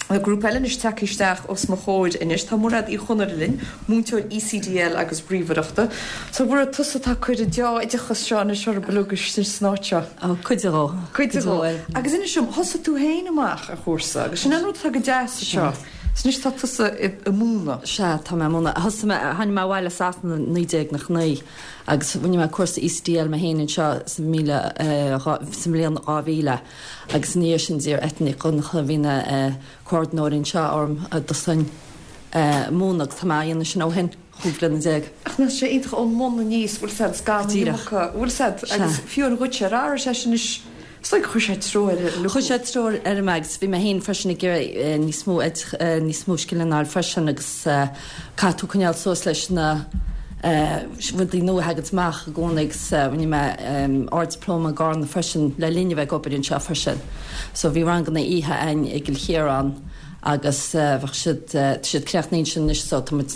Tá grúpa eile anois tagtha isteach os mo chomhair anois. Tá Mairéad Uí Chonaire linn, múinteoir ECDL agus ríomhaireachta. So Mhairéad, tusa atá ag cur an dea-oideachas seo anois oraibh uilig san áit seo. Ó, cuid dhó. Cuid dhó. Agus inis dom, thosaigh tú féin amach ar chúrsa agus sin an rud atá go deas anseo. So anois tá tusa ag múineadh. Sea, tá mé ag múineadh. Thosaigh mé, tháinig mé abhaile as Sasana i 1999 agus rinne mé cúrsa ECDL mé féin anseo sa míle, sa mbliain 2000. Agus ina dhiaidh sin d'iarr Eithne Nic Dhonncha, a bhí ina comhordaitheoir anseo, orm dul ag múineadh agus tá mé á dhéanamh sin ó shin, 15 bliana. Ach nach sé iontach ón mbun aníos, bhfuil 's a'd, gan an iomarca, bhfuil 's a'd, agus fiú an dhuitse, ar athraigh sé sin anois, is dóigh gur chuir sé treoir ar Chuir sé treoir orm agus bhí mé féin freisin ag iarraidh níos mó, níos mó scileanna a fháil freisin agus caithfidh tú coinneáil suas leis na rudaí nua a thaganns amach i gcónaí agus rinne mé Ard-Dioplóma i gCarna freisin le linn a bheith ag obair anseo freisin. So bhí ranganna oíche againn i gCill Chiaráin agus bheadh siad, tá siad críochnaithe ansin anois so tá muid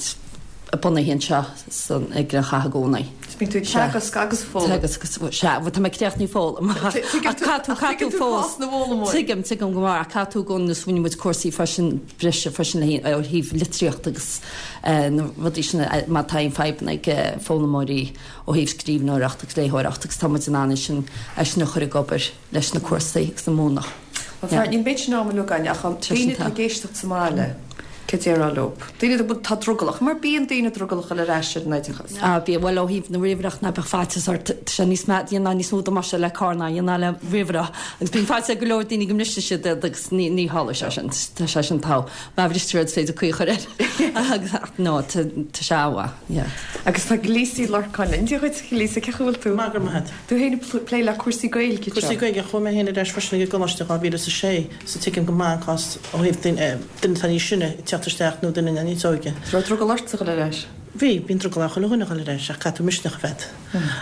bunaithe anseo san, i gCill Chartha i gcónaí. So bíonn tú ag teagasc agus ag foghlaim. Teagasc agus, sea, bhuel tá mé críochnaithe foghlaim ach caithfidh tú, caithfidh tú fós, tuigim, tuigim go maith ach caithfidh tú i gcónaí agus rinne muid cúrsaí freisin breise freisin le ó thaobh litríochta agus na rudaí sin má tá aon fadhbanna ag foghlaimeoirí ó thaobh scríbhneoireacht agus léitheoireacht agus tá muid in ann é sin é sin a chur ag obair leis na cúrsaí agus an múineadh. Bhuel, fear, níl méid sin ama againn ach an daoine atá ag éisteacht sa mbaile, céard a déarfá leo? Daoine atá drogallach, mar bíonn daoine drogallach dul ar ais ar an oideachas. Ah, bíonn, bhuel ó thaobh na ríomhaireachta ná beadh faitíos ort, tá sé níos mea, dhéanfá níos mó damáiste le carr ná a dhéanfá le ríomhaire agus bíonn faitíos ar go leor daoine go mbrisfidh siad iad agus ní, ní tharlóidh sé sin, tá sé sin togha. Má bhristear iad is féidir caoi a chur air. Agus, ach no, tá, tá sé an-mhaith, yeah. Agus tá Lisa Uí Lorcáin linn. Dia dhuit, a Lisa, cén chaoi a bhfuil tú? Maith, go raibh maith agat. Tú féin ag plé le cúrsaí Gaeilge anseo. Cúrsaí Gaeilge, chuaigh mé féin ar ais freisin ag an gcoláiste i 2006 so tuigim go maith an cás ó thaobh duine atá níos sine ag teacht isteach nó duine níos óige. Raibh drogall ortsa dhul ar ais? Bhí, bíonn drogall ar chuile dhuine dhul ar ais ach caithfidh tú misneach a bheith agat.